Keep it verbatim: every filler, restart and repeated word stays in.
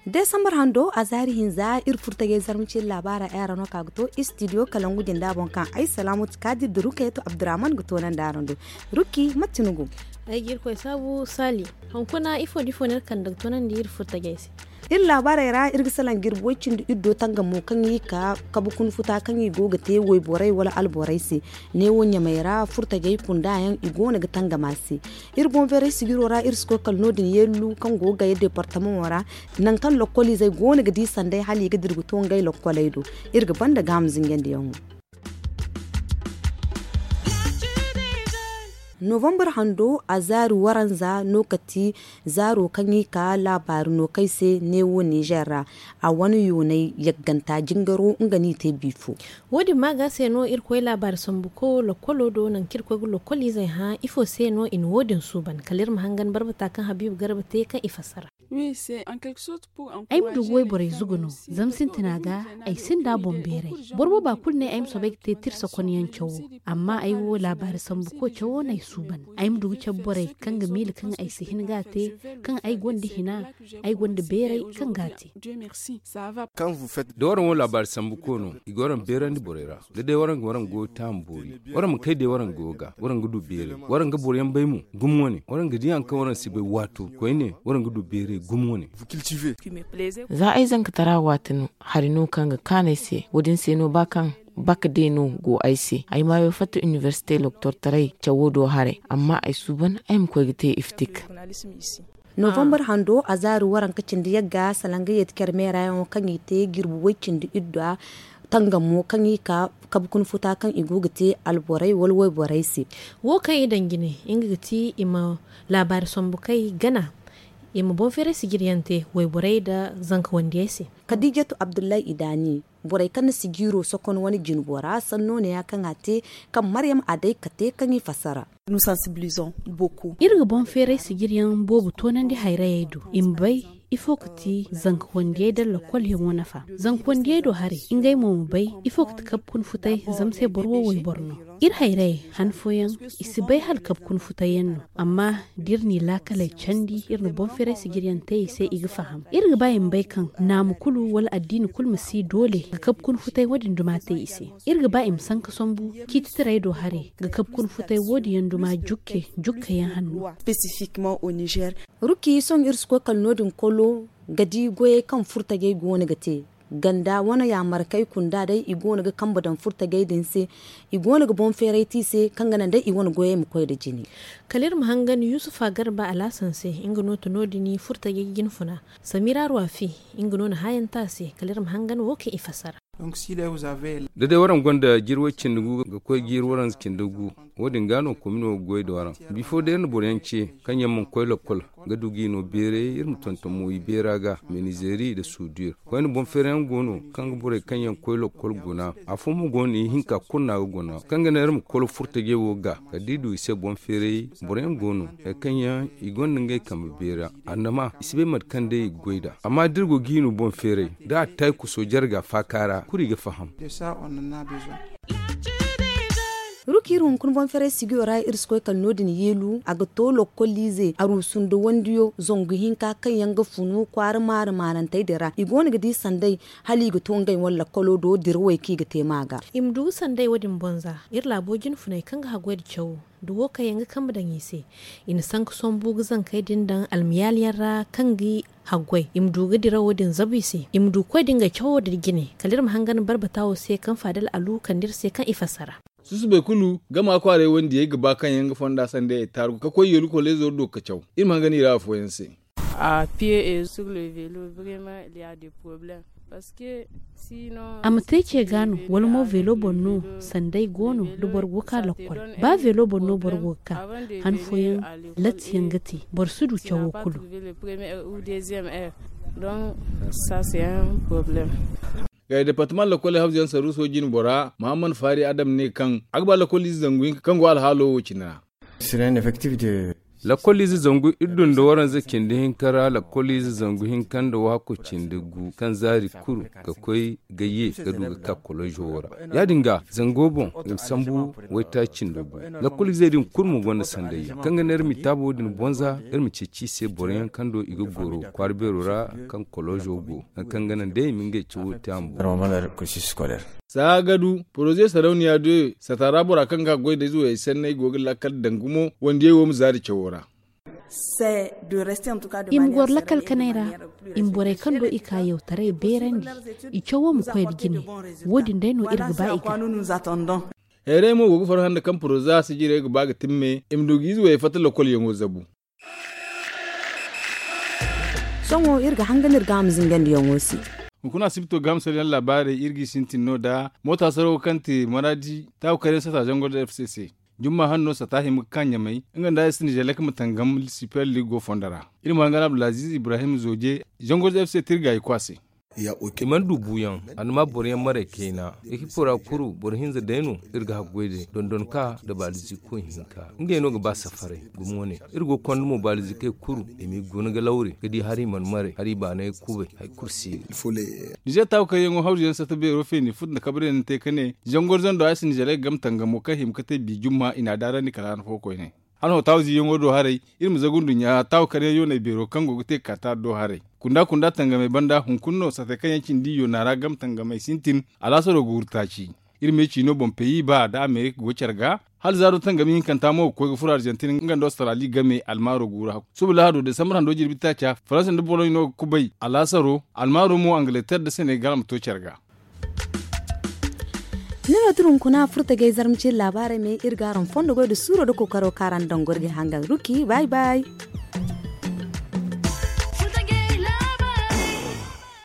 Desambar hando a zaari hinza iri furtajey zarma cine laabaara ay ra no ka ga to istidiyo kalangu jinda boŋ kaŋ ay salaamatu kaadir da rukayatu abdurrahman ga toonandi araŋ do. Rukki mate ni go? Ay ga irkoy saabu saali. Hunkuna ifo da ifo no iri kande ga toonandi iri furtajey se? Iri laabaarey ra iri ga salaŋ jirbi way cindi iddo tangamo kaŋ i ka kabu kuna futa kaŋ i go ga te wayborey wala alborey se. Neewo ɲamey ra furtajey kunda yaŋ i go no ga tangam a se. Iri boŋ feeray sijiro ra iri si koy kala no- din yeelu kaŋ go ga gaya deepartamaŋo ra, nangu kaŋ lokkoliizey go no ga di sanday hala i ga dira ga to ngey lokkoley do. Iri ga banda gaamu zinjandiyaŋo. Novambar hando a zaari waranza no ka ti zaaro kaŋ i ka laabaari no kay se neewo nizer ra. A wane yoonay yagganta jingaro nga no i te biifo. Wo- din maaga se no iri koy laabaari sambu ko lokkolo do nangu kaŋ iri koy ga lokkoliizey hã ifo se no i na wo- din suuban kala iri ma hangan barbata kaŋ habiibu garba te kaŋ i fassara. Ay ma du ga wayborey zugu no. Zama sintina ga ay sinda boŋ beeray. Boro booba kulu ne ay ma soobay ga te tirsa konyaŋ cawo. Amma ay wo laabaari sambu ko cawo no ay suuban. Ay ma du ga cabe borey kaŋ ga miila kaŋ ay si hin ga a te, kaŋ ay gonda hina, ay gonda beeray kaŋ ga a te. Da waraŋ wo laabaari sambu ko no i ga waraŋ beerandi borey ra. Da day waraŋ ga waraŋ goyo taamu boori, waraŋ ma kay day waraŋ goyo ga waraŋ ga du beeray. Waraŋ ga boroyaŋ bay mo gumo wane waraŋ ga di haŋ kaŋ waraŋ si bay waato koyne waraŋ ga du beeray gumo wane. Za ay zankatara waati no hari no kaŋ ga kaanu ay se. Wo- din se no ba kaŋ baka day no go ay se ay maayo fatta inibersite loktortaray cawo do haray amma ay suuban ay ma koy ga te iftik. Novambar hando a zaari waranka cindi yagga salanga yeeti care meerayaŋo kaŋ i te jirbi way cindi iddu a tangamo kaŋ i ka kabu kuna futa kaŋ i go ga te alborey wala wayborey se. Wo kaŋ i daŋ jine nga ga ti i ma laabaari sambu kay gana i ma boŋ feeray sijiryaŋ te wayborey nda zanka wandiyey se. Kadiijatu abdullahi idaani borey kaŋ na sijiiro sokon wane jinbo ra sanno ne ya kaŋ a te kaŋ maryam a day kate kaŋ i fassara. Iri ga boŋ feeray sijiryaŋ boobo toonandi hayrayey do i ma bay ifo ga ti zanka wandiyey nda lokkolyaŋo nafa. Zanka wandiyey do haray ngey mo ma bay ifo ga ti kabu kuna futay zama se boro wo wayboro no. Iri hayrayey han fooyaŋ i si bay hala kabu kuna futayyaŋ no. Amma da iri n'i laakaley candi iri na boŋ feeray sijiryaŋ te i se i ga faham. Iri ga ba i ma bay kaŋ naamu kulu wala addiini kulu ma si doole ga kabu kuna futay wo- din duma te i se. Iri ga ba i ma sanka sambu ciititaray do haray ga kabu kuna futay wo- din yaŋ duma jukke jukkayaŋ hanno. Rukki sohõ iri si koy kala no- din kolo ga di goyey kaŋ furtajey go no ga te ganda wane yaamarkey kunda day i go no ga kambe daŋ furtajey din se. I go no ga boŋ feeray te i se kaŋ ga naŋ day i wane goyey ma koy nda jine. Kala iri ma hangan yusufa garba alaasan se nga no ti no- din furtajey jinfuna samira ruwafi nga no na haayaŋ te a se kala iri ma hangan wo kaŋ i fassara. Da day waraŋ gonda jiiri way cindi gu ga koy jiiri waranza cindi gu, wo- din ga no komino ga goy nda waraŋ. Bifo day iri na boroyaŋ ce kaŋ yaŋ mana koy lokkol ga du g'i no beeray iri ma tonton mo i beera ga menizeeri nda suudir. Koyne boŋ feerayaŋ go no kaŋ ga borey kaŋ yaŋ koy lokkol guna. Afo mo go no ihinka kulu no a ga guna kaŋ ga naŋ iri ma kolo furtajey wo ga kala da i du i se boŋ feeray. Boroyaŋ go no hari kaŋ yaŋ i gonda ngey kambe beera. Annama i si bay mate kaŋ day i ga goy nd'a amma da iri go ga i no boŋ feeray da a tay kuso jarga faaka ra kulu i ga faham. Ruki iri hunkuna boŋ feeray sigiyo ra iri si koy kala no- din yeelu a ga to lokkoliize aruusu nda wandiyo zangu hinka kaŋ yaŋ ga funu kwaara maari maarantey din ra i go no ga di sanday hala i ga to ngey wane lakkolo do dirawey kaŋ i ga te ma ga. I ma du ga sanday wo- din boŋ za iri laabo jinfuney kaŋ ga haggoy nda cawo nda wo kaŋ yaŋ ga kambe daŋ i se. I na sanka sambu ga zankey din daŋ almayaali yaŋ ra kaŋ ga haggoy i ma du ga dirawo din zabu i se i ma du ga koy da ngey cawo nda jine kala iri ma hangan barbata wo se kaŋ faadal alu kande iri se kaŋ i fassara. Susubay kulu gama kwaaray wandiyey ga ba kaŋ yaŋ ga fonda sanday ay taaru ga koy yeelu koleezoro do ga caw. Iri ma hangan i ra afooyaŋ se. A ma te ce ga no wala mo veelo boŋ no sanday go no da boro go ga ka lokkol. Ba veelo boŋ no boro go ga ka han fooyaŋ latti yaŋ ga te boro si du cawo kulu. Ga departement lokol hafzu yaŋ saruuso jine bora muhammad faari adam ne kaŋ a ga ba lokol ize zangu hinka kaŋ go alhaalo wo cine ra. Lakkoliize zangu iri du nda waranza cindi hinka ra lakkoliize zangu hinka nda waako cindi gu kaŋ zaari kulu ga koy ga ye ga du ga ka kolozo wo ra. Ya- din ga zango boŋ i ma sambu waytaaci nda gu. Lakkoliizey din kulu mo gonda sandayyaŋ kaŋ ga ne iri ma i taabo din bonza iri ma ceeci i se boro yaŋ kaŋ do i ga goro kwaara beero ra kaŋ kolozo go, hari kaŋ ga naŋ day i ma ngey cawo te a ma boŋ. Saagadu poroze sarauniya de sata ra bora kaŋ ga goy da ize wayey sanney go ga lakkal daŋ gumo wandiyey wo ma zaari cawo ra. I ma goro lakkal kanay ra. I ma borey kaŋ do i ka yawtaray beerandi. I cawo ma koy da jine. Wo- din day no iri ga ba i ga. Heeray mo go ga farhã nda kaŋ poroza sijirey ga ba ga timme i ma du ga ize wayey fatta lokolyaŋo zabu. Sohõ iri ga hangan iri ga a ma zingandi yaŋo se. Hunkuna asibito ga a ma sara yaŋ laabaarey iri ga i sintin no da moota sarawo kaŋ te maraadi taaku karyaŋ sata zangor da f c c. Jumma hanno sata hima ga ka ɲamay nga nda a si nizelek ma tangam super league go fondo ra. Iri ma hangan abdulaziz ibrahim zoje zangor da f c t iri ga i kwa se. I mana du buuyaŋ. A na ma boro yaŋ maray kayna. Ekipo ra kuru boro hinza day no. Iri ga haggoy day dondon ka nda baalizi koy hinka ngey no ga ba safaray. Gumo ne iri go ga konda mo baalizi kay kuru i m'i guna ga lawre ga di hari i mana maray hari i baanay kubay hari kulu si. Nizer taaku kaŋ yaŋo hawzu yaŋ sata beero feeni futu nda kabrey na te ka ne zangor zando a si nizer ay ga game tangamo kaŋ hima ga te bi jumma i n'a daarandi kala han fo koyne. Hala hotaawu ziiyaŋo do haray iri ma zagu nduɲɲa taawu karyaŋ yoonay beero kaŋ go ga te ga ka taari do haray. Kunda kunda tangamey banda hunkuna no sate kaŋ yaŋ cindi yoona ra game tangamey sintin. Alaasaro ga wurtaaci. Iri me ciino boŋ peyi ba nda amerika go care ga. Hala zaaro tangami hinkanta mo ga koy ga furo arjantin nga nda australi game almaaro guuru hakku suba lahado desambar hando jirbi taaca faransa nda boloɲ no ga kubay alaasaro almaaro mo angleter nda senegal ma to care ga. Ni no tira hunkuna furtagay zarma cine laabaarey me iri ga araŋ fondo goy nda suuro nda kookaro kaŋ araŋ daŋ gorgey hangan ruki bay bay.